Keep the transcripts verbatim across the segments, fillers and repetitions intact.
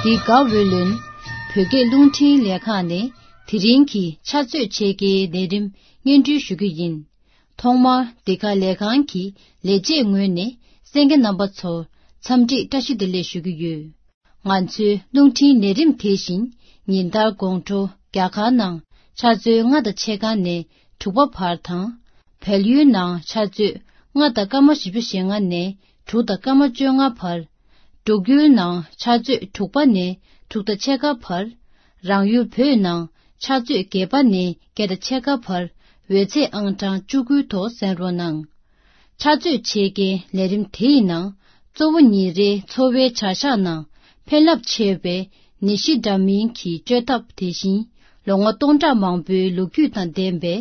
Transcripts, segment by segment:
འདི་ག་ཝེ་ལོན་བོད་སྐད་རླུང་འཕྲིན་ལས་ཁང་ནས་དེ་རིང་གི་ཕྱག་ཚོད་ཕྱེད་ཀའི་ལས་རིམ་སྙན་སྒྲོན་ཞུ་རྒྱུ་ཡིན། ཐོག་མར་འདི་ག་ལས་ཁང་གི་ལས་བྱེད་ངོས་ནས་གསན་མཁན་རྣམ་པ་ཚོར་འཚམས་འདྲི་བཀྲ་ཤིས་བདེ་ལེགས་ཞུ་གི་ཡོད། ང་ཚོའི་རླུང་འཕྲིན་ལས་རིམ་དེ་བཞིན་ཉིན་ལྟར་དགོང་དྲོ་རྒྱ་གར་ནང་ཆུ་ཚོད་ལྔ་དང་ཕྱེད་ཀ་ནས་དྲུག་པ་བར་དང་། བལ་ཡུལ་ནང་ཆུ་ཚོད་ལྔ་དང་སྐར་མ་བཞི་བཅུ་ཞེ་ལྔ་ནས་དྲུག་དང་སྐར་མ་བཅོ་ལྔ་བར། འབྲུག་ཡུལ་ནང་ཆུ་ཚོད་དྲུག་པ་ནས་དྲུག་དང་ཕྱེད་ཀ་བར། རང་ཡུལ་བོད་ནང་ཆུ་ཚོད་བརྒྱད་པ་ནས་བརྒྱད་དང་ཕྱེད་ཀ་བར་འོད་ཚད་ཨང་གྲངས་བཅུ་དགུའི་ཐོག་གསན་རོགས་གནང་། ཆུ་ཚོད་ཕྱེད་ཀའི་ལས་རིམ་དེའི་ནང་གཙོ་བོ་ཉིན་རེའི་འཚོ་བའི་བྱ་གཞག་ནང་ཕན་རླབས་ཆེ་བའི་ནད་གཞི་འདྲ་མིན་གྱི་བཅོས་ཐབས། དེ་བཞིན་ལོ་ངོ་སྟོང་ཕྲག་མང་པོའི་ལོ་རྒྱུས་དང་ལྡན་པའི་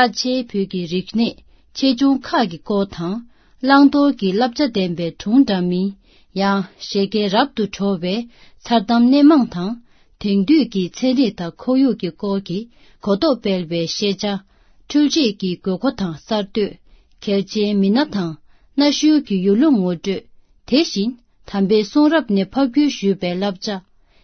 རྩ་ཆེའི་བོད་ཀྱི་རིག་གནས་ཆེ་ཆུང་ཁག་གི་སྐོར་དང་། བླང་དོར་གྱི་བསླབ་བྱ་ལྡན་པའི་སྒྲུང་འདྲ་མིན། ཡང་བཞད་གད་རབ་ཏུ་བྲོ་བའི་མཚར་གཏམ་སྣེ་མང་དང་། དེང་དུས་ཀྱི་ཚན་རིག་དང་ཁོར་ཡུག་གི་སྐོར་གྱི་གོ་རྟོགས་སྤེལ་བའི་ཤེས་བྱ། འཕྲུལ་ཆས་ཀྱི་དགོས་མཁོ་དང་གསར་གཏོད། གལ་ཆེའི་མི་སྣ་དང་གནའ་ཤུལ་གྱི་ཡུལ་ལུང་ངོ་སྤྲོད། དེ་བཞིན་དམ་པའི་གསུང་རབ་ནས་ཕབ་བསྒྱུར་ཞུས་པའི་བསླབ་བྱ།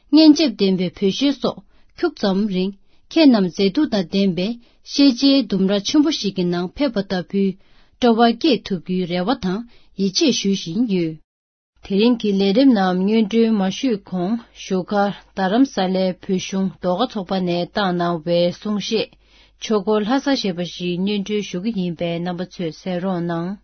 སྙན་འཇེབས་ལྡན་པའི་བོད་གཞས་སོགས་ཁྱུག་ཙམ་རིང་ཁྱེད་རྣམས་མཛེས་སྡུག་དང་ལྡན་པའི་ཤེས་བྱའི་ལྡུམ་ར་ཆེན་པོ་ཞིག་གི་ནང་ཕེབས་པ་ལྟ་བུའི་སྤྲོ་བ་སྐྱེས་ཐུབ་རྒྱུའི་རེ་བ་དང་ཡིད་ཆེས་ཞུ་བཞིན་ཡོད། དེ་རིང་གི་ལས་རིམ་རྣམས་སྙན་སྒྲོན་མ་ཞུས་གོང་བཞུགས་སྒར་རྡ་རམ་ས་ལའི་བོད་གཞུང་ཟློས་གར་ཚོགས་པ་ནས་བཏང་གནང་བའི་གསུང་བཤད། ཆོས་འཁོར་ལྷ་ས་ཞེས་པ་ཞིག་སྙན་སྒྲོན་ཞུ་གི་ཡིན་པས་རྣམ་པ་ཚོས་གསན་རོགས་གནང་།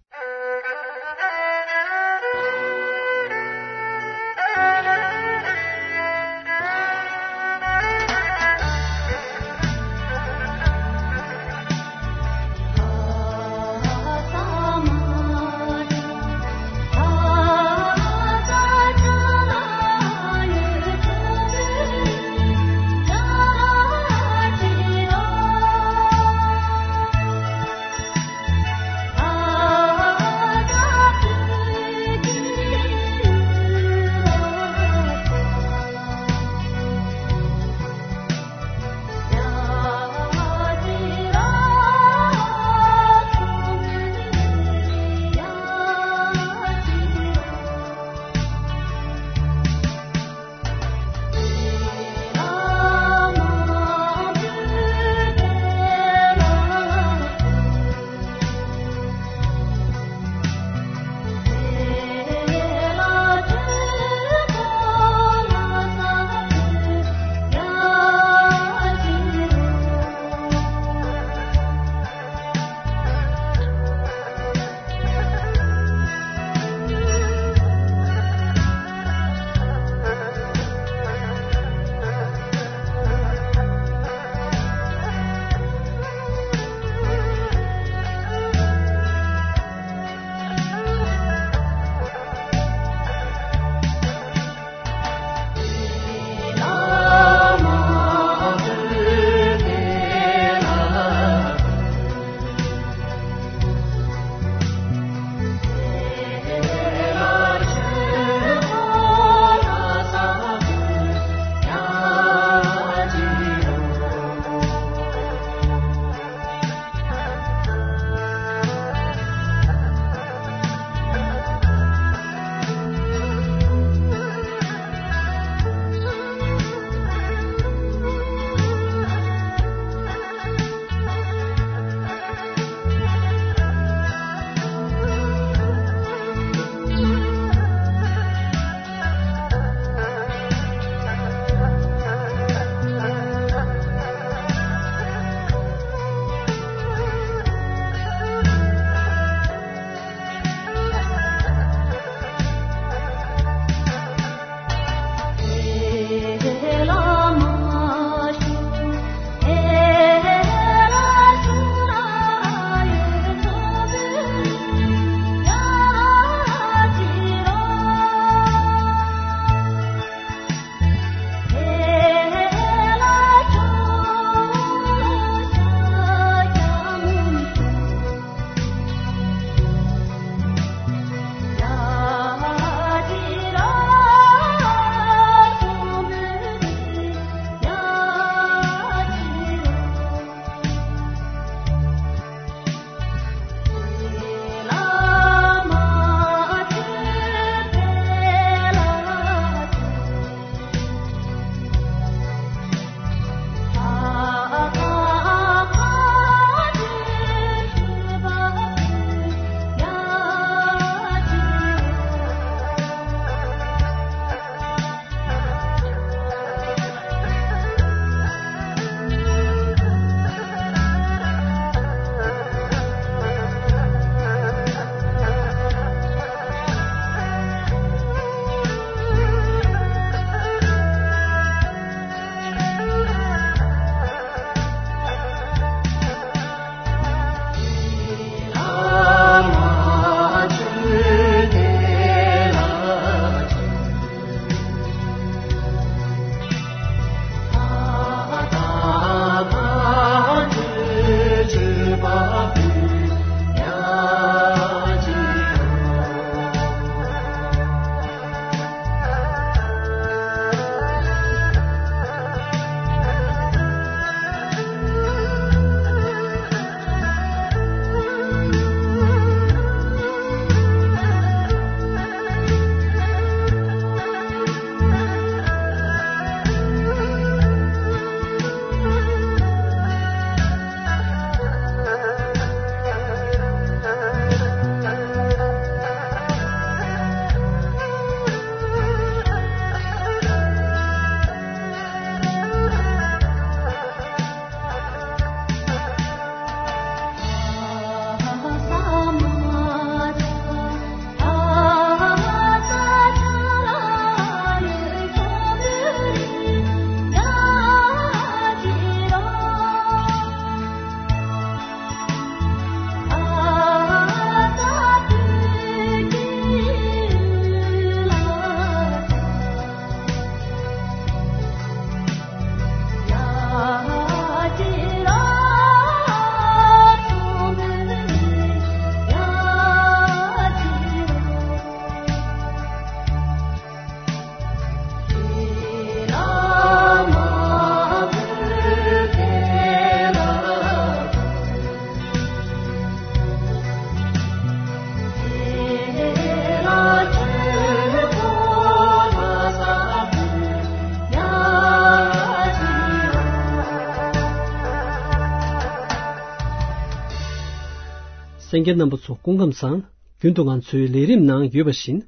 གསན་མཁན་རྣམ་པ་ཚོ་སྐུ་ཁམས་བཟང་། རྒྱུན་དུ་ང་ཚོའི་ལས་རིམ་ནང་ཡོད་པ་བཞིན།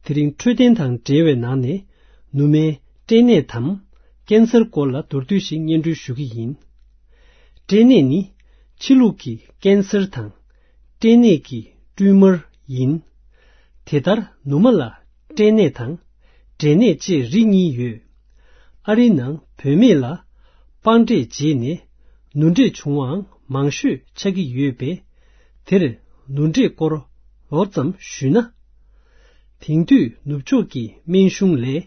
དེ་རིང་འཕྲོད་བསྟེན་དང་འབྲེལ་བའི་ནང་ནས་ནུ་མའི་སྐྲན་ནད་དམ་ཀེན་སར་སྐོར་ལ་མདོར་བསྡུས་ཤིག་སྙན་སྒྲོན་ཞུ་གི་ཡིན། སྐྲན་ནད་ནི་ཕྱི་ལུགས་ཀྱི་ཀེན་སར་དང་སྐྲན་ནད་ཀྱི་ཊུ་མར་ཡིན། དེ་ལྟར་ནུ་མ་ལ་སྐྲན་ནད་དང་འབྲས་ནད་ཅེས་རིགས་གཉིས་ཡོད། ཨ་རིའི་ནང་བུད་མེད་ལ་པགས་འབྲས་རྗེས་ནས་ནུ་འབྲས་འབྱུང་བའང་མང་ཤོས་ཆགས་ཀྱི་ཡོད་པས། དེར་ནུ་འབྲས་སྐོར་མདོ་ཙམ་ཞུས་ན། དེང་དུས་ནུབ་ཕྱོགས་ཀྱི་སྨན་གཞུང་ལས་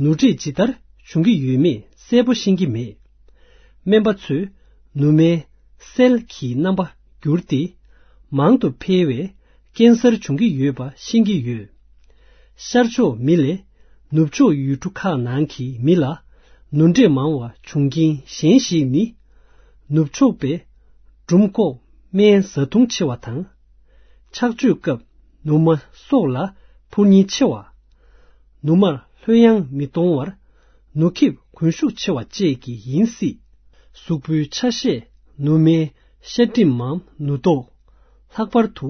ནུ་འབྲས་ཇི་ལྟར་འབྱུང་གི་ཡོད་མེད་གསལ་པོ་ཤེས་ཀྱི་མེད། སྨན་པ་ཚོས་ནུ་མའི་སེལ་གྱི་རྣམ་པ་འགྱུར་ཏེ་མང་དུ་འཕེལ་བས་ཀེན་སར་འབྱུང་གི་ཡོད་པ་ཤེས་ཀྱི་ཡོད། ཤར་ཕྱོགས་མི་ལས་ནུབ་ཕྱོགས་ཡུལ་གྲུ་ཁག་ནང་གི་མི་ལ་ནུ་འབྲས་མང་བ་འབྱུང་རྐྱེན་གཞན་ཞིག་ནི། ནུབ་ཕྱོགས་པའི་སྦྲུམ་འགོག་སྨན་བཟའ་བཏུང་ཆེ་བ་དང་། ཆག་སྤྱོད་སྐབས་ནུ་མ་སྲོག་ལ་འཕུར་ཉེན་ཆེ་བ། ནུ་མར་ལྷོད་ཡངས་མི་གཏོང་བར་ནུ་ཁེབས་གོན་ཤུགས་ཆེ་བ་བཅས་ཀྱིས་ཡིན་སྲིད། གཟུགས་པོའི་ཆ་ཤས་ནུ་མའི་ཤ་སྒྲིམ་མམ་ནུ་ཏོག་ལྷག་པར་དུ་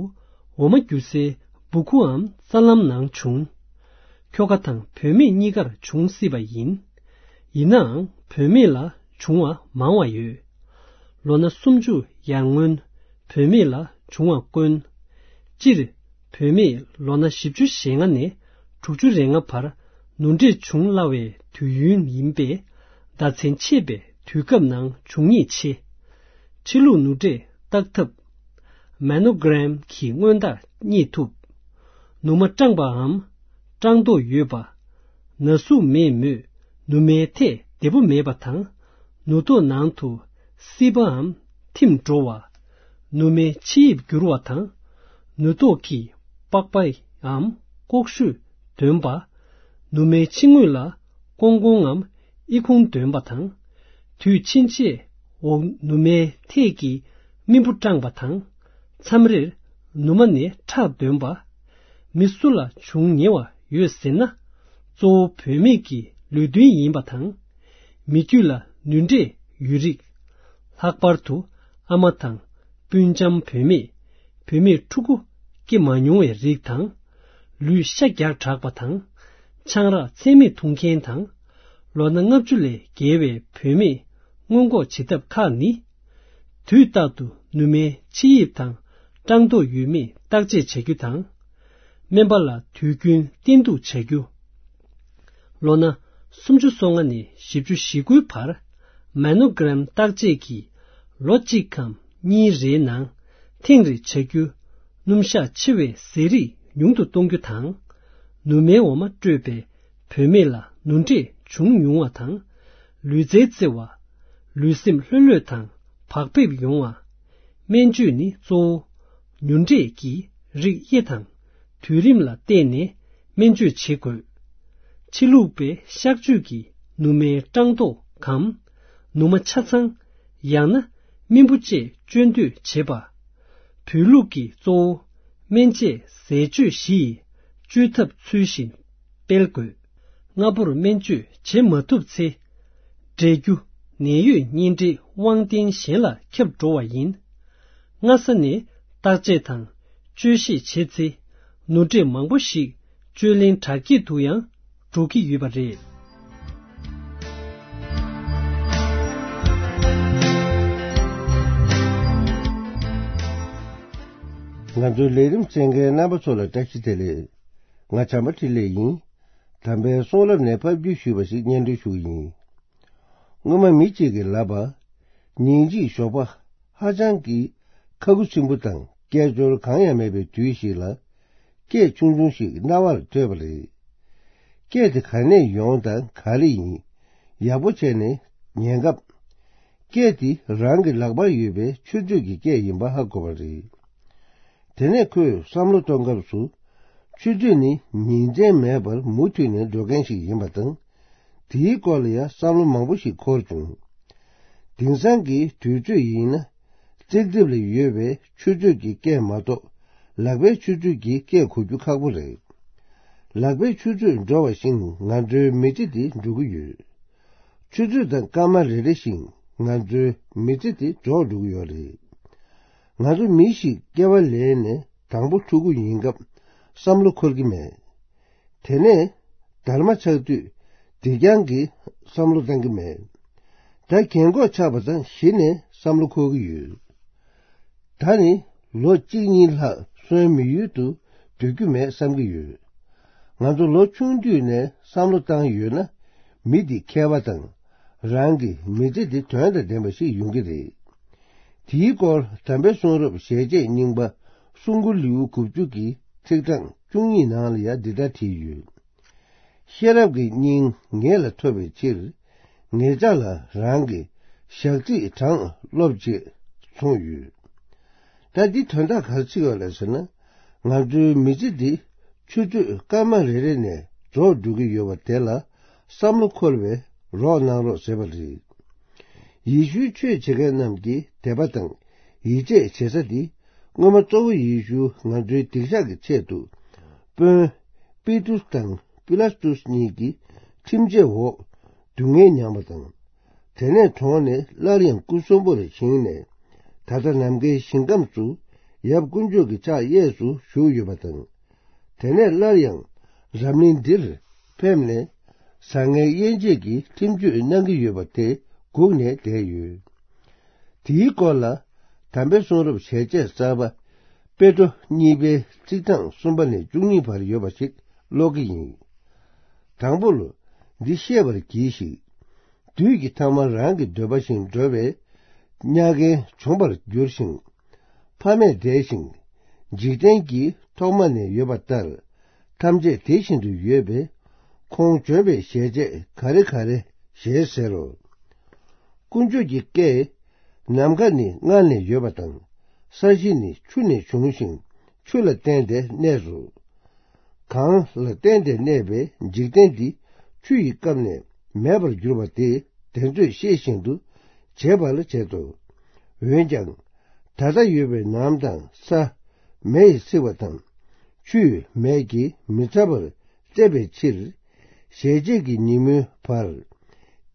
འོ་མ་རྒྱུ་སའི་སྦུ་གུའམ་རྩ་ལམ་ནང་འབྱུང་། ཁྱོ་ག་དང་བུད་མེད་གཉིས་ཀར་འབྱུང་སྲིད་པ་ཡིན། ཡིན་ནའང་བུད་མེད་ལ་འབྱུང་བ་མང་བ་ཡོད། ལོ་ན་སུམ་ཅུ་ཡར་སྔོན་བུད་མེད་ལ་འབྱུང་བ་དཀོན། སྤྱིར་བུད་མེད་ལོ་ན་བཞི་བཅུ་ཞེ་ལྔ་ནས་དྲུག་ཅུ་རེ་ལྔ་བར་ནུ་འབྲས་འབྱུང་སླ་བའི་དུས་ཡུན་ཡིན་པས། ཟླ་མཚན་ཆད་པའི་དུས་སྐབས་ནང་འབྱུང་ཉེན་ཆེ། ཕྱི་ལུགས་ནུ་འབྲས་བརྟག་ཐབས། མེ་མོ་གྷི་རམ་གྱི་སྔོན་བརྟག་རྙེད་ཐུབ། ནུ་མ་སྐྲངས་པའམ་སྐྲངས་མདོག་ཡོད་པ། ན་ཟུག་མེད་མོད་ནུ་མའི་ཐད་བདེ་པོ་མེད་པ་དང་། ནུ་ཏོག་ནང་དུ་སྲིད་པའམ་ཐིམ་འགྲོ་བ། ནུ་མའི་ཕྱི་དབྱིབས་འགྱུར་བ་དང་། ནུ་ཏོག་གི་པགས་པའམ་ལྐོག་ཤུད་འདོན་པ། ནུ་མའི་ཕྱི་ངོས་ལ་ཀོང་ཀོང་ངམ་ཨི་ཁུང་འདོན་པ་དང་། དུས་ཕྱིན་ཆད་འོག་ནུ་མའི་ཐད་ཀྱི་རྨེན་བུ་སྐྲངས་པ་དང་། མཚམས་རེར་ནུ་མ་ནས་ཁྲག་འདོན་པ། མི་སུ་ལ་འབྱུང་ཉེ་བ་ཡོད་ཟེར་ན། གཙོ་བོ་བུད་མེད་ཀྱི་ལུས་རྟེན་ཡིན་པ་དང་། མི་རྒྱུད་ལ་ནུ་འབྲས་ཡོད་རིགས། ལྷག་པར་དུ་ཨ་མ་དང་སྤུན་ལྕམ་བུད་མེད། བུད་མེད་ཕྲུ་གུ་སྐྱེ་མ་མྱོང་བའི་རིགས་དང་། ལུས་ཤ་རྒྱགས་དྲགས་པ་དང་། ཆང་རག་ཚད་མེད་འཐུང་མཁན་དང་། ལོ་ན་ལྔ་བཅུ་ལས་བརྒལ་བའི་བུད་མེད་སྔོན་འགོག་བྱེད་ཐབས་ཁག་ནི། དུས་རྟག་ཏུ་ནུ་མའི་ཕྱི་དབྱིབས་དང་སྐྲངས་མདོག་ཡོད་མེད་བརྟག་དཔྱད་བྱ་རྒྱུ་དང་། སྨན་པ་ལ་དུས་རྒྱུན་བསྟེན་གཏུག་བྱ་རྒྱུ། ལོ་ན་སུམ་ཅུ་སོ་ལྔ་ནས་བཞི་བཅུ་ཞེ་དགུའི་བར་མེ་མོ་གྷི་རམ་བརྟག་དཔྱད་ཀྱིས་ལོ་གཅིག་གམ་གཉིས་རེའི་ནང་ཐེངས་རེ་བྱ་རྒྱུ། སྣུམ་ཞག་ཆེ་བའི་ཟས་རིགས་ཉུང་དུ་གཏོང་རྒྱུ་དང་། ནུ་མའི་འོ་མ་སྤྲོད་པའི་བུད་མེད་ལ་ནུ་འབྲས་འབྱུང་ཉུང་བ་དང་། ལུས་རྩལ་རྩེ་བ། ལུས་སེམས་ལྷོད་ལྷོད་དང་བག་ཕེབས་ཡོང་བ། སྨན་བཅོས་ནི་གཙོ་བོ་ནུ་འབྲས་ཀྱི་རིགས་དབྱེ་དང་དུས་རིམ་ལ་བལྟས་ནས་སྨན་བཅོས་བྱེད་དགོས། ཕྱི་ལུགས་པའི་གཤག་བཅོས་ཀྱིས་ནུ་མའི་སྐྲངས་མདོག་གམ། ནུ་མ་ཆ་ཚང་། ཡང་ན་རྨེན་བུ་བཅས་བཅོས་འདོད་བྱེད་པ། བོད་ལུགས་ཀྱི་གཙོ་བོ་སྨན་དཔྱད་ཟས་སྤྱོད་བཞི་ཡི་བཅོས་ཐབས་ཚུལ་བཞིན་སྤེལ་དགོས། སྔ་པོར་སྨན་བཅོས་བྱེད་མ་ཐུབ་ཚེ། འབྲས་རྒྱུ་ནད་ཡོད་གཉན་འབྲས་དབང་ལྡན་གཞན་ལ་ཁྱབ་འགྲོ་བ་ཡིན། སྔ་ས་ནས་བརྟག་དཔྱད་དང་། བཅོས་ཤེས་བྱེད་ཚེ། ནུ་འབྲས་མང་པོ་ཞིག་བཅོས་ལེན་དྲག་སྐྱེད་དུ་ཡང་འགྲོ་གི་ཡོད་པ་རེད། ང་ཚོའི་ལས་རིམ་གསན་མཁན་རྣམ་པ་ཚོ་ལ་བཀྲ་ཤིས་བདེ་ལེགས། ང་བྱམས་པ་འཕྲིན་ལས་ཡིན། དམ་པའི་གསུང་རབ་ནས་ཕབ་བསྒྱུར་ཞུས་པ་ཞིག་སྙན་སྒྲོན་ཞུ་གི་ཡིན། སྔོན་མ་མི་གཅིག་གིས་ལབ་པ། ཉིན་གཅིག་ཞོགས་པ་ཧ་ཅང་གི་ཁ་ཁུ་སིམ་པོ་དང་སྐད་ཅོར་གང་ཡང་མེད་པའི་དུས་ཤིག་ལ། སྐད་ཆུང་ཆུང་ཞིག་རྣ་བར་ཐོས་པ་རེད། སྐད་དེ་ག་ནས་ཡོང་དང་ག་རེ་ཡིན། ཡག་པོ་བྱས་ནས་ཉན་སྐབས། སྐད་དེ་རང་གི་ལག་པར་ཡོད་པའི་ཆུ་ཚོད་ཀྱི་སྐད་ཡིན་པ་ཧ་གོ་བ་རེད། དེ་ནས་ཁོས་བསམ་བློ་གཏོང་སྐབས་སུ། ཆུ་ཚོད་ནི་ཉིན་མཚན་མེད་པར་མུ་མཐུད་ནས་འགྲོ་མཁན་ཞིག་ཡིན་པ་དང་། དེའི་སྐོར་ལ་ཡང་བསམ་བློ་མང་པོ་ཞིག་འཁོར་བྱུང་། དེང་སང་གི་དུས་ཚོད་ཡིན་ན། རྩིག་ལྡེབས་ལ་ཡོད་པའི་ཆུ་ཚོད་ཀྱི་སྐད་མ་གཏོགས། ལག་པའི་ཆུ་ཚོད་ཀྱི་སྐད་གོ་རྒྱུ་ཁག་པོ་རེད། ལག་པའི་ཆུ་ཚོད་འགྲོ་བ་བཞིན་ང་ཚོའི་མི་ཚེ་འདི་འགྲོ་གི་ཡོད། ཆུ་ཚོད་དང་སྐར་མ་རེ་རེ་བཞིན་ང་ཚོའི་མི་ཚེ་འདི་འགྲོ་འགྲོ་གི་ཡོད་རེད། ང་ཚོ་མི་ཞིག་སྐྱེ་བ་ལེན་ནས་དང་པོ་ཕྲུ་གུ་ཡིན་སྐབས་བསམ་བློ་འཁོར་གྱི་མེད། དེ་ནས་དར་མ་ཆགས་དུས་དེ་རྐྱང་གི་བསམ་བློ་བཏང་གི་མེད། ད་རྒན་གོག་ཆགས་པ་དང་གཞི་ནས་བསམ་བློ་འཁོར་གྱི་ཡོད། ད་ནི་ལོ་གཅིག་གཉིས་ལྷག་སོན་མི་ཡུལ་དུ་སྡོད་རྒྱུ་མེད་བསམ་གྱི་ཡོད། ང་ཚོ་ལོ་ཆུང་དུས་ནས་བསམ་བློ་བཏང་ཡོད་ན། མི་འདི་མཁས་པ་དང་། རང་གི་མི་ཚེ་འདི་དོན་དང་ལྡན་པ་ཞིག་ཡོང་གི་རེད། དེའི་སྐོར་དམ་པའི་གསུང་རབ་ཞལ་ཆད་རྙིང་པ་གསུང་མགུར་ལེའུ་དགུ་བཅུ་གི་ཚིག་གྲངས་བཅུ་གཉིས་ནང་ལ་ཡང་འདི་ལྟར་བྲིས་ཡོད། ཤེས་རབ་ཀྱི་སྙིང་ངེས་ལ་ཐོབ་པའི་ཕྱིར། ངེད་ཅག་ལ་རང་གི་ཞག་ཚིགས་གྲངས་སློབ་ཅེས་གསུངས་ཡོད། ད་འདི་དོན་དག་ག་རེ་ཚིག་ཡོད་ལ་ཟེར་ན། ང་ཚོའི་མི་ཚེ་འདི་ཆུ་ཚོད་སྐར་མ་རེ་རེ་ནས་རྫོགས་འགྲོ་གི་ཡོད་པ་དེ་ལ་བསམ་བློ་འཁོར་བའི་རོགས་གནང་རོགས་ཟེར་བ་རེད། ཡེ་ཤུའི་ཆོས་བྱེད་མཁན་རྣམས་ཀྱིས་དད་པ་དང་ཡིད་ཆེས་བྱེད་ས་འདི་སྔོན་མ་གཙོ་བོ་ཡེ་ཤུ་ང་ཚོའི་སྡིག་བཤགས་ཀྱི་ཆེད་དུ་དཔོན་པི་ཏུ་དང་པི་ལ་ཏུ་གཉིས་ཀྱི་ཁྲིམས་ཆད་འོག་སྡུག་བསྔལ་མྱངས་པ་དང་། དེ་ནས་གྲོངས་ནས་སླར་ཡང་སྐུ་གསོན་པོར་བཞེངས་ནས་ད་ལྟ་ནམ་མཁའི་ཞིང་ཁམས་སུ་ཡབ་དཀོན་མཆོག་གི་ཕྱག་གཡས་སུ་བཞུགས་ཡོད་པ་དང་། དེ་ནས་སླར་ཡང་འཛམ་གླིང་འདིར་ཕེབས་ནས་བཟང་ངན་དབྱེ་འབྱེད་ཀྱི་ཁྲིམས་གཅོད་གནང་གི་ཡོད་པ་དེ་སྒུག་ནས་བསྡད་ཡོད། དེའི་སྐོར་ལ་དམ་པའི་གསུང་རབ་ཞལ་ཆད་གསར་པ་པེ་ཏྲོ་གཉིས་པའི་ཚིག་གྲངས་གསུམ་པ་ནས་བཅུ་གཉིས་བར་ཡོད་པ་ཞིག་ཀློག་གི་ཡིན། དང་པོ་ལ། འདི་ཤེས་པར་གྱིས་ཤིག་དུས་ཀྱི་ཐ་མར་རང་གི་འདོད་པ་བཞིན་འགྲོ་བའི་གཉའ་གན་བྱུང་བར་འགྱུར་ཞིང་། ཕ་མས་བསྡད་ཤིང་། འཇིག་རྟེན་གྱི་ཐོག་མ་ནས་ཡོད་པ་ལྟར། ཐམས་ཅད་དེ་བཞིན་དུ་ཡོད་པས། ཁོང་བྱོན་པའི་ཞལ་ཆད་ག་རེ་ག་རེ་ཞེས་ཟེར་རོ། དཀོན་མཆོག་གི་སྐད། ནམ་མཁའ་ནི་སྔར་ནས་ཡོད་པ་དང་། ས་གཞི་ནི་ཆུ་ནས་བྱུང་ཞིང་ཆུ་ལ་བརྟེན་ཏེ་གནས་སོ། གང་ལ་བརྟེན་ཏེ་གནས་པའི་འཇིག་རྟེན་འདི་ཆུ་ཡི་སྐབས་ནས་མེད་པར་གྱུར་པ་དེ་དེ་ཚོས་ཤེས་བཞིན་དུ་བྱེད་པར་བྱེད་དོ། འོན་ཀྱང་ད་ལྟ་ཡོད་པའི་ནམ་དང་ས་མེ་ཡིས་ཚིག་པ་དང་། ཆུའི་མེ་གིས་མི་ཚར་བར་གཙེས་པའི་ཕྱིར། ཞལ་ཆད་ཀྱི་ཉིན་མོའི་བར།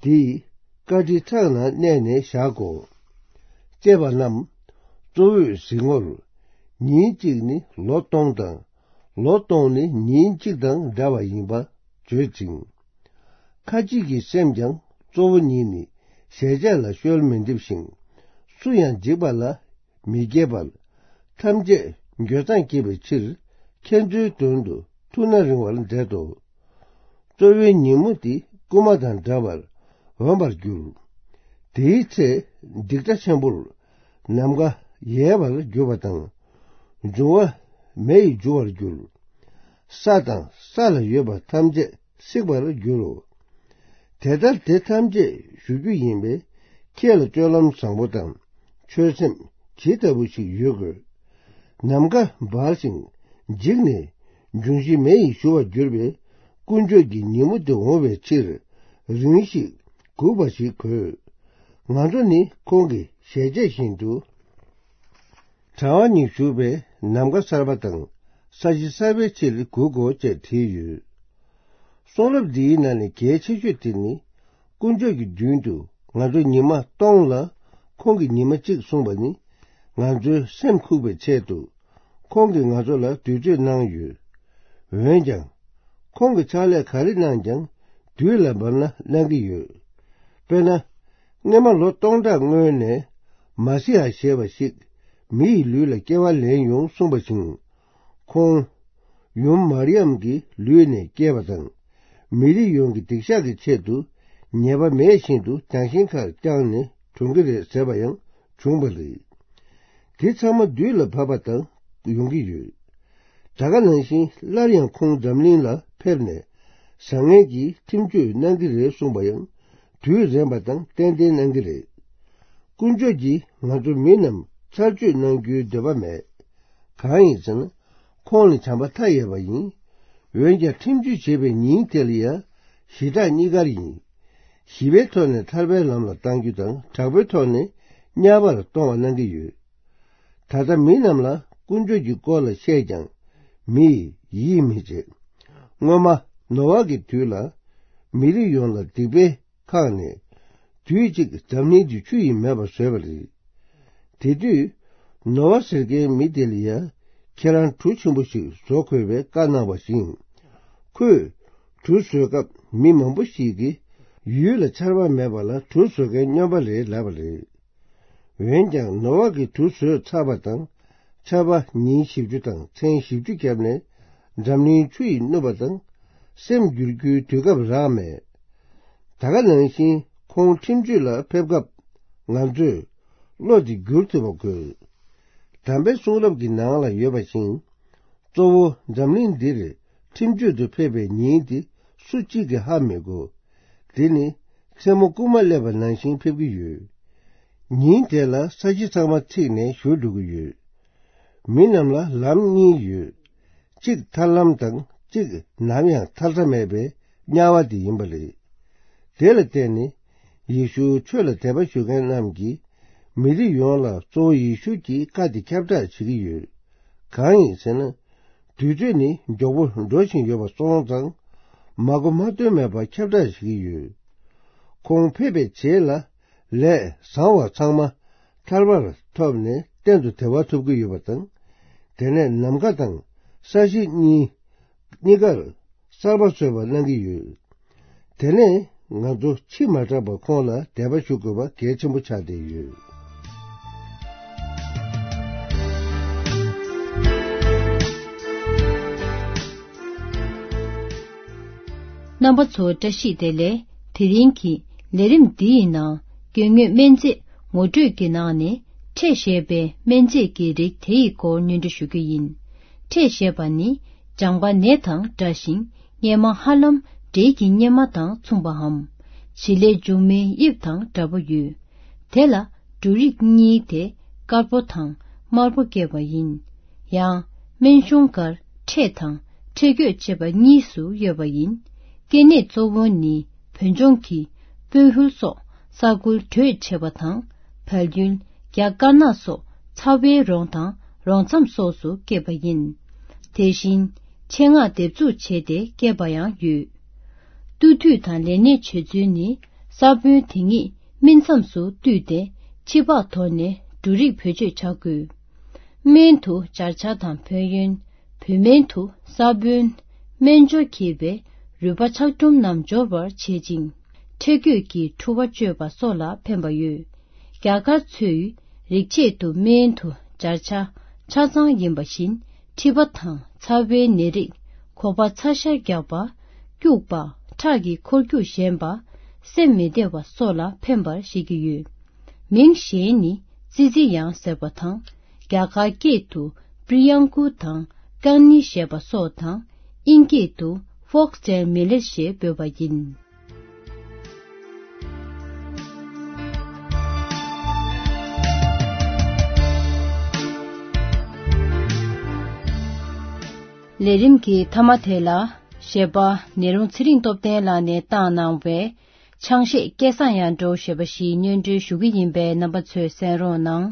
དེའི་བཀའ་ཁྲི་ཕྲག་ན་མནན་ནས་བཞག་གོ། གཙེས་པ་རྣམས་གཙོ་བོས་གཟིགས་ངོར། ཉིན་གཅིག་ནི་ལོ་སྟོང་དང་། ལོ་སྟོང་ནི་ཉིན་གཅིག་དང་འདྲ་བ་ཡིན་པ་བརྗོད་ཅིང་། ཁ་ཅིག་གི་སེམས་ཀྱང་གཙོ་བོ་ཉིད་ནི་ཞལ་ཆད་ལ་བཤོལ་མི་འདེབས་ཤིང་། སུ་ཡང་འཇིགས་པ་ལ་མི་སྐྱེ་བར། ཐམས་ཅད་འགྱོད་ཚངས་སྐྱེ་བའི་ཕྱིར། ཁྱེད་ཚོའི་དོན་དུ་ཐུགས་ན་རིང་བར་མཛད་དོ། གཙོ་བོའི་ཉིན་མོ་དེ་རྐུན་མ་དང་འདྲ་བར་འོན་པར་འགྱུར། དེའི་ཚེ་སྡིག་ཕྲ་ཆེན་པོར་ནམ་མཁའ་ཡལ་བར་འགྱུར་བ་དང་། འབྱུང་བ་མེ་ཡིས་འཇུ་བར་འགྱུར། ས་དང་ས་ལ་ཡོད་པ་ཐམས་ཅད་བསྲེག་པར་འགྱུར་རོ། དེ་ལྟར་དེ་ཐམས་ཅད་ཞུ་རྒྱུ་ཡིན་པས། ཁྱེད་ལ་སྤྱོད་ལམ་བཟང་པོ་དང་ཆོས་སེམས་ཇི་ལྟ་བུ་ཞིག་ཡོད་དགོས། ནམ་མཁའ་འབར་ཞིང་འཇིག་ནས་འབྱུང་བཞི་མེ་ཡིས་ཞུ་བར་འགྱུར་བའི་དཀོན་མཆོག་གི་ཉིན་མོ་དེ་འོང་བའི་ཕྱིར། རིང་ཞིག་སྒུག་པ་ཞིག་དགོས། ང་ཚོ་ནི་ཁོང་གི་ཞལ་ཆད་བཞིན་དུ། གྲྭ་བ་ཉིད་བཞུགས་པའི་ནམ་མཁའ་གསར་པ་དང་ས་གཞི་གསར་པའི་ཕྱིར་སྒུག་གོ་ཅེས་བྲིས་ཡོད། གསུང་རབ་འདིའི་ནང་ནས་གལ་ཆེ་ཤོས་དེ་ནི། དཀོན་མཆོག་གི་མདུན་དུ་ང་ཚོ་ཉི་མ་སྟོང་ལ་ཁོང་གིས་ཉི་མ་གཅིག་གསུངས་པ་ནི། ང་ཚོའི་སེམས་ཁུག་པའི་ཆེད་དུ་ཁོང་གིས་ང་ཚོ་ལ་དུས་ཚོད་གནང་ཡོད། འོན་ཀྱང་། ཁོང་གིས་ཕྱག་ལས་ག་རེ་གནང་ཀྱང་དུས་ལ་བབ་ན་གནང་གི་ཡོད། དཔེར་ན། སྔོན་མ་ལོ་སྟོང་ཕྲག་སྔོན་ནས་མ་སི་ཡ་ཞེས་པ་ཞིག་མི་ཡི་ལུས་ལ་སྐྱེ་བ་ལེན་ཡོང་གསུངས་པ་བཞིན། ཁོང་ཡུམ་མར་ཡམ་གྱི་ལུས་ནས་སྐྱེས་པ་དང་། མི་རིགས་ཡོངས་ཀྱི་སྡིག་བཤགས་ཀྱི་ཆེད་དུ་ཉེས་པ་མེད་བཞིན་དུ་རྒྱང་ཤིང་ཁར་བརྐྱངས་ནས་གྲོངས་ཀྱི་རེད་ཟེར་བ་ཡང་བྱུང་བ་རེད། དེ་ཚང་མ་དུས་ལ་བབ་པ་དང་ཡོང་གི་ཡོད། ད་ག་ནང་བཞིན་སླར་ཡང་ཁོང་འཛམ་གླིང་ལ་ཕེབས་ནས་བཟང་ངན་གྱི་ཁྲིམས་གཅོད་གནང་གི་རེད་གསུངས་པ་ཡང་དུས་རན་པ་དང་ཏན་ཏན་གནང་གི་རེད། དཀོན་མཆོག་གིས་ང་ཚོ་མི་རྣམས་ཚར་གཅོད་གནང་རྒྱུའི་འདོད་པ་མེད། གང་ཡིན་ཟེར་ན། ཁོང་ནི་བྱམས་པ་མཐའ་ཡས་པ་ཡིན། འོན་ཀྱང་ཁྲིམས་གཅོད་བྱེད་པའི་ཉིན་དེ་ལ་ཡང་ཞི་དྲག་གཉིས་ཀར་ཡིན། ཞི་བའི་ཐོག་ནས་ཐར་པའི་ལམ་ལ་བཏང་རྒྱུ་དང་དྲག་པོའི་ཐོག་ནས་དམྱལ་བར་གཏོང་བ་གནང་གི་ཡོད། ད་ལྟ་མི་རྣམས་ལ་དཀོན་མཆོག་གི་སྐོར་ལ་བཤད་ཀྱང་མི་ཡིས་ཡིད་མི་ཆེས། སྔོན་མ་ནོ་ཝཱ་གི་དུས་ལ་མི་རིགས་ཡོངས་ལ་སྡིག་པའི་ཁག་ནས་དུས་གཅིག་འཛམ་གླིང་འདི་ཆུ་ཡིས་མེད་པར་བཟོས་པ་རེད། དེ་དུས་ ནོ་ཝཱ་ཟེར་མཁན་མི་དེ་ལ་ཡང་ཁྱེད་རང་གྲུ་ཆེན་པོ་ཞིག་བཟོ་དགོས་པའི་བཀའ་གནང་བ་བཞིན། ཁོས་གྲུ་བཟོས་སྐབས་མི་མང་པོ་ཞིག་གིས་ཡུལ་ལ་ཆར་པ་མེད་པ་ལ་གྲུ་བཟོ་མཁན་སྨྱོན་པ་རེད་ལབ་པ་རེད། འོན་ཀྱང་ནོ་ཝཱ་གིས་གྲུ་བཟོས་ཚར་བ་དང་། ཆར་པ་ཉིན་བཞི་བཅུ་དང་མཚན་བཞི་བཅུ་བརྒྱབ་ནས་འཛམ་གླིང་ཆུ་ཡིས་བསྣུབས་པ་དང་། སེམས་འགྱུར་རྒྱུའི་དུས་སྐབས་རག་མེད། ད་ག་ནང་བཞིན་ཁོང་ཁྲིམས་གཅོད་ལ་ཕེབས་སྐབས་ང་ཚོས་བློ་དེ་བསྒྱུར་ཐུབ་པ་དགོས། དམ་པའི་གསུང་རབ་ཀྱི་ནང་ལ་ཡོད་པ་བཞིན། གཙོ་བོ་འཛམ་གླིང་འདིར་ཁྲིམས་གཅོད་དུ་ཕེབས་པའི་ཉིན་དེ་སུ་གཅིག་གིས་ཧ་མི་གོ། དེ་ནི་མཚན་མོ་རྐུན་མ་སླེབས་པ་ནང་བཞིན་ཕེབས་ཀྱི་ཡོད། ཉིན་དེ་ལ་ས་གཞི་ཚང་མ་འཚིག་ནས་བཞུར་འགྲོ་གི་ཡོད། མི་རྣམས་ལ་ལམ་གཉིས་ཡོད། གཅིག་ཐར་ལམ་དང་གཅིག་ནམ་ཡང་ཐར་ས་མེད་པའི་དམྱལ་བ་དེ་ཡིན་པ་རེད། དེ་ལ་བརྟེན་ནས་ཡེ་ཤུ་ཆོས་ལ་དད་པ་ཞུ་མཁན་རྣམས་ཀྱིས་མི་རིགས་ཡོངས་ལ་གཙོ་བོ་ཡེ་ཤུ་གྱི་བཀའ་དེ་ཁྱབ་བསྒྲགས་བྱེད་ཀྱི་ཡོད། གང་ཡིན་ཟེར་ན། དུས་ཚོད་ནི་མགྱོགས་པོ་འགྲོ་བཞིན་ཡོད་པ་སོང་ཙང་། མ་གོ་མ་ཐོས་མེད་པར་ཁྱབ་བསྒྲགས་བྱེད་ཀྱི་ཡོད། ཁོང་ཕེབས་པའི་རྗེས་ལ་ལས་བཟང་བ་ཚང་མ་ཐར་པར་ཐོབ་ནས་གཏན་དུ་བདེ་བ་ཐོབ་ཀྱི་ཡོད་པ་དང་། དེ་ནས་ནམ་མཁའ་དང་ས་གཞི་གཉིས་གཉིས་ཀར་གསར་པ་བཟོས་པ་གནང་གི་ཡོད། དེ་ནས་ང་ཚོ་འཆི་མ་དྲགས་པར་ཁོང་ལ་དད་པ་ཞུ་དགོས་པ་གལ་ཆེན་པོ་ཆགས་བསྡད་ཡོད། རྣམ་པ་ཚོ་བཀྲ་ཤིས་བདེ་ལེགས། དེ་རིང་གི་ལས་རིམ་འདིའི་ནང་སྐྱེ་དངོས་སྨན་རྫས་ངོ་སྤྲོད་ཀྱི་ནང་ནས་ཁྲེ་ཞེས་པའི་སྨན་རྫས་ཀྱི་རིགས་དེ་ཡི་སྐོར་སྙན་སྒྲོན་ཞུ་རྒྱུ་ཡིན། ཁྲེ་ཞེས་པ་ནི་ལྗང་པ་ནས་དང་འདྲ་ཞིང་། སྔོན་མ་ཧ་ལམ་འབྲས་ཀྱི་སྔོན་མ་དང་མཚུངས་པའམ། བྱི་ལའི་མཇུག་མའི་དབྱིབས་དང་འདྲ་པོ་ཡོད། དེ་ལ་འབྲུ་རིགས་གཉིས་ཏེ། དཀར་པོ་དང་དམར་པོ་སྐྱེ་བ་ཡིན། ཡང་སྨན་གཞུང་ཁར་ཁྲེ་དང་ཁྲེ་རྒོད་ཅེས་པ་གཉིས་སུ་ཡོད་པ་ཡིན། སྐྱེ་གནས་གཙོ་བོ་ནི་བོད་ལྗོངས་ཀྱི་སྤོ་ཧུལ་སོགས་ས་ཁུལ་དྲོད་ཆེ་བ་དང་། བལ་ཡུལ། རྒྱ་དཀར་ནག་སོགས་ཚ་བའི་རོང་དང་རོང་མཚམས་སོགས་སུ་སྐྱེས་པ་ཡིན། དེ་བཞིན་ཆེད་མངགས་འདེབས་འཛུགས་བྱས་ཏེ་སྐྱེས་པ་ཡང་ཡོད། སྟུག་དུས་དང་ལས་གནས་བྱེད་ཚུལ་ནི། ས་བོན་དེ་ཉིད་སྨིན་མཚམས་སུ་བཏུས་ཏེ་ཕྱི་པགས་དོར་ནས་འབྲུ་རིགས་བེད་སྤྱོད་བྱ་དགོས། སྨན་དུ་སྦྱར་བྱ་དང་བོན་ཡོན། བོད་སྨན་དུ་ས་བོན། སྨན་སྦྱོར་གྱིས་པའི་རུས་པ་ཆག་གྲུམ་རྣམས་སྦྱོར་བར་བྱེད་ཅིང་། ཁྲེ་རྒོད་ཀྱི་འཁྲུ་བ་གཅོད་པ་སོགས་ལ་ཕན་པ་ཡོད། རྒྱ་གར་ཚོས་རིགས་ཆད་དུ་སྨན་དུ་སྦྱར་བྱ་ཆ་ཚང་ཡིན་པ་བཞིན་མཁྲིས་པ་དང་ཚ་བའི་ནད་རིགས། གོ་པ་ཚ་ཤར་རྒྱག་པ། སྐྱུག་པ། ཁྲག་གི་འཁོར་རྒྱུག་ཞན་པ། སེམས་མི་བདེ་བ་སོགས་ལ་ཕན་པར་བཤད་ཀྱི་ཡོད། མིང་གཞན་ནི་ཙི་ཙི་ཡང་ཟེར་བ་དང་། རྒྱ་གར་སྐད་དུ་པྲི་ཡང་ཀུ་དང་ཀང་ནི་ཞེས་པ་སོགས་དང་། དབྱིན་སྐད་དུ་Foxtail Millet ཞེས་འབོད་པ་ཡིན། ལས་རིམ་གྱི་མཐའ་མ་དེ་ལ་གཞས་པ་ནེ་རོང་ཚེ་རིང་སྟོབས་ལྡན་ལགས་ནས་བཏང་གནང་བའི་ཆང་གཞས་སྐལ་བཟང་ཡར་འགྲོ་ཞེས་པ་ཞིག་སྙན་སྒྲོན་ཞུ་གི་ཡིན་པས་རྣམ་པ་ཚོས་གསན་རོགས་གནང་།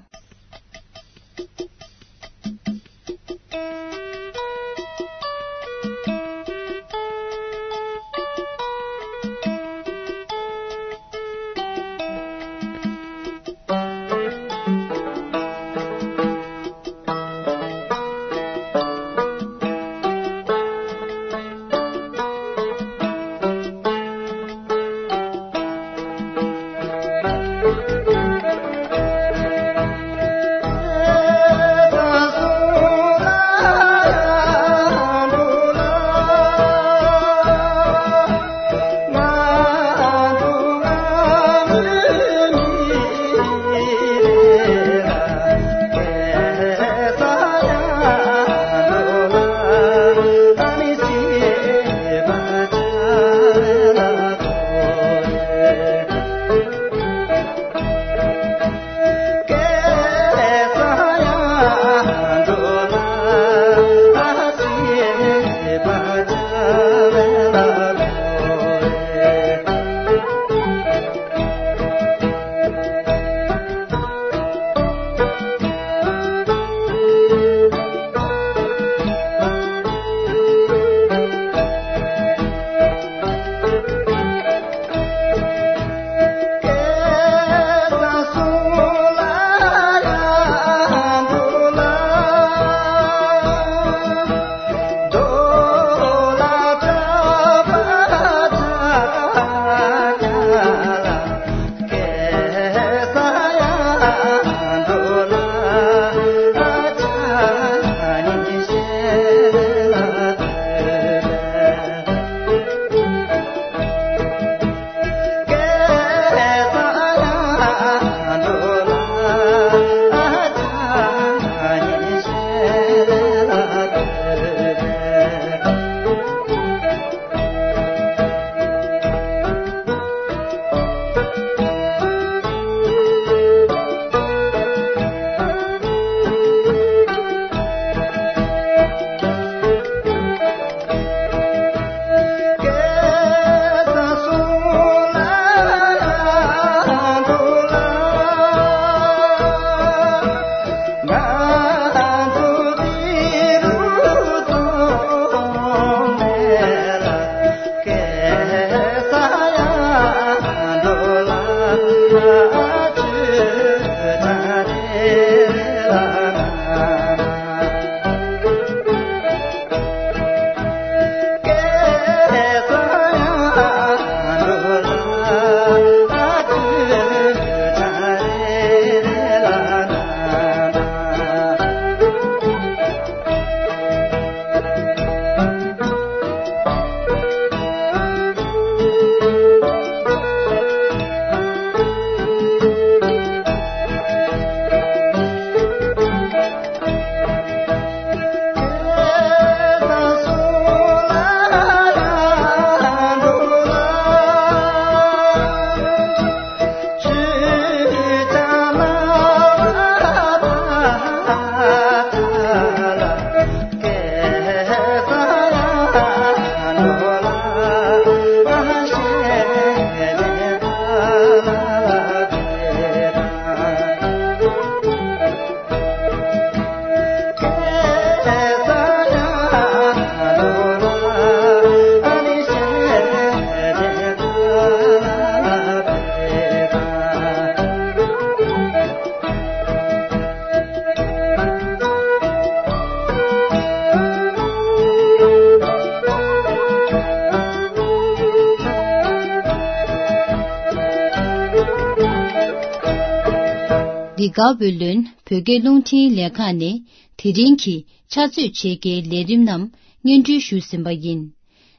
ག་ཝེ་ལོན་བོད་སྐད་རླུང་འཕྲིན་ལས་ཁང་ནས་དེ་རིང་གི་ཕྱག་ཚོད་ཕྱེད་ཀའི་ལས་རིམ་རྣམས་སྙན་སྒྲོན་ཞུས་ཟིན་པ་ཡིན།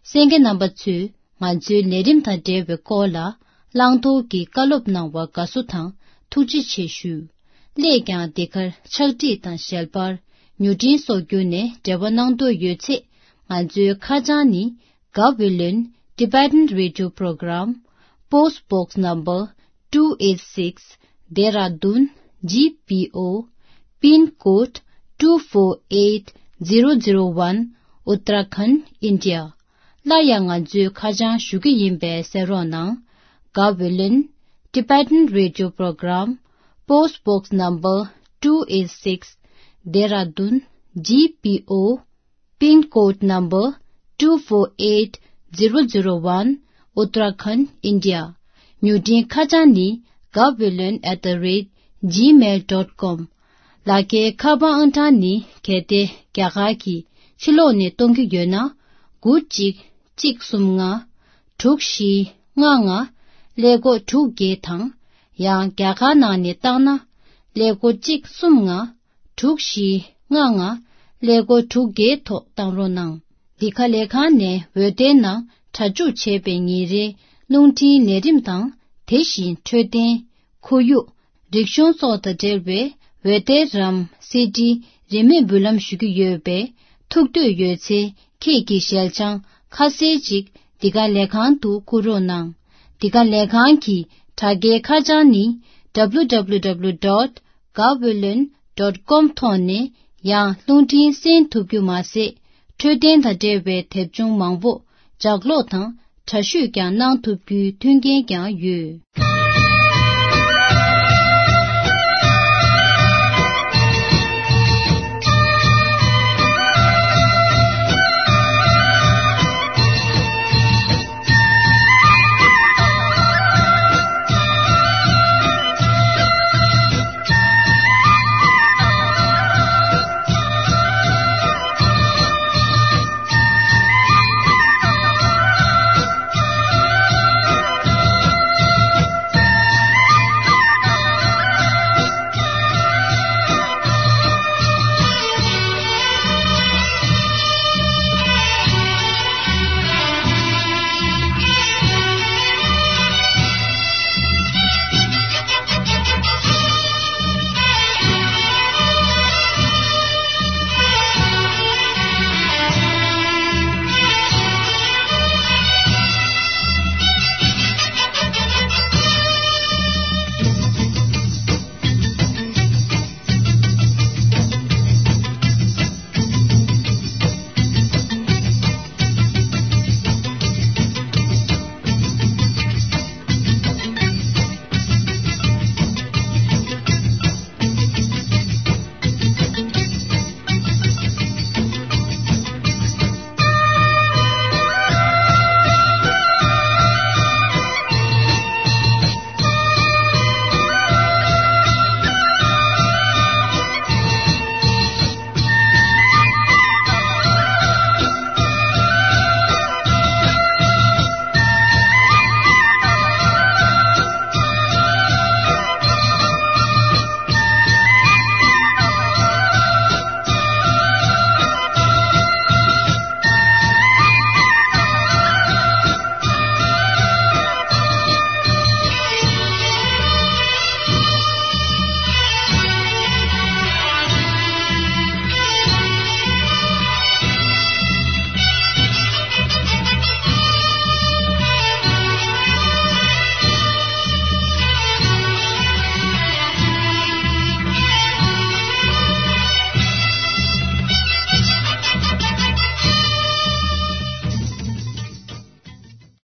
གསན་མཁན་རྣམ་པ་ཚོས་ང་ཚོའི་ལས་རིམ་དང་འབྲེལ་བའི་སྐོར་ལ་བླང་དོར་གྱི་བཀའ་སློབ་གནང་བར་དགའ་བསུ་དང་ཐུགས་རྗེ་ཆེ་ཞུ། སླད་ཀྱང་འདི་གར་ཕྱག་བྲིས་དང་ཞལ་པར། མྱུར་འཕྲིན་སོགས་བརྒྱུད་ནས་འབྲེལ་བ་གནང་འདོད་ཡོད་ཚེ། ང་ཚོའི་ཁ་བྱང་ནི། Gaweylon Tibetan Radio Program, Post Box Number two eight six, Dehradun G P O, Pin Code two four eight zero zero one, Uttarakhand, India. སླར་ཡང་ང་ཚོའི་ཁ་བྱང་ཞུ་གི་ཡིན་པས་གསན་རོགས་གནང་། Gaweylon Tibetan Radio Program, Post Box Number two eight six, Dehradun G P O, Pin Code Number two four eight zero zero one, Uttarakhand, India. མྱུར་འཕྲིན་ཁ་བྱང་ནི། Gaweylon at the rate gmail dot com. ལག་འཁྱེར་ཁ་པར་ཨང་གྲངས་ནི། གལ་ཏེ་རྒྱ་གར་གྱི་ཕྱི་ལོགས་ནས་གཏོང་གི་ཡོད་ན། དགུ་གཅིག་གཅིག་གསུམ་ལྔ། དྲུག་བཞི་ལྔ་ལྔ། ཀླད་ཀོར་དྲུག་བརྒྱད་དང་། ཡང་རྒྱ་གར་ནང་ནས་བཏང་ན། ཀླད་ཀོར་གཅིག་གསུམ་ལྔ། དྲུག་བཞི་ལྔ་ལྔ། ཀླད་ཀོར་དྲུག་བརྒྱད་ཐོག་བཏང་རོགས་གནང་། འདི་ག་ལས་ཁང་ནས་འོད་སྡེར་ནང་སྒྲ་འཇུག་བྱས་པའི་ཉིན་རེའི་རླུང་འཕྲིན་ལས་རིམ་དང་། དེ་བཞིན་འཕྲོད་བསྟེན། ཁོར་ཡུག་རིག་གཞུང་སོགས་དང་འབྲེལ་བའི་འོད་སྡེར་རམ་སི་ཌི། རིན་མེད་འབུལ་ལམ་ཞུ་གི་ཡོད་པས། ཐུགས་འདོད་ཡོད་ཚེ། ཁྱེད་ཀྱི་ཞལ་བྱང་ཁ་གསལ་ཅིག་འདི་ག་ལས་ཁང་དུ་བསྐུར་རོགས་གནང་། འདི་ག་ལས་ཁང་གི་དྲ་རྒྱའི་ཁ་བྱང་ནི། W W W dot gaweylon dot com ཐོག་ནས་ཡང་རླུང་འཕྲིན་གསན་ཐུབ་རྒྱུ་མ་ཟད། འཕྲོད་བསྟེན་དང་འབྲེལ་བའི་དེབ་ཆུང་མང་པོ་ལྗགས་ཀློག་དང་འདྲ་བཤུས་ཀྱང་གནང་ཐུབ་རྒྱུའི་མཐུན་རྐྱེན་ཀྱང་ཡོད།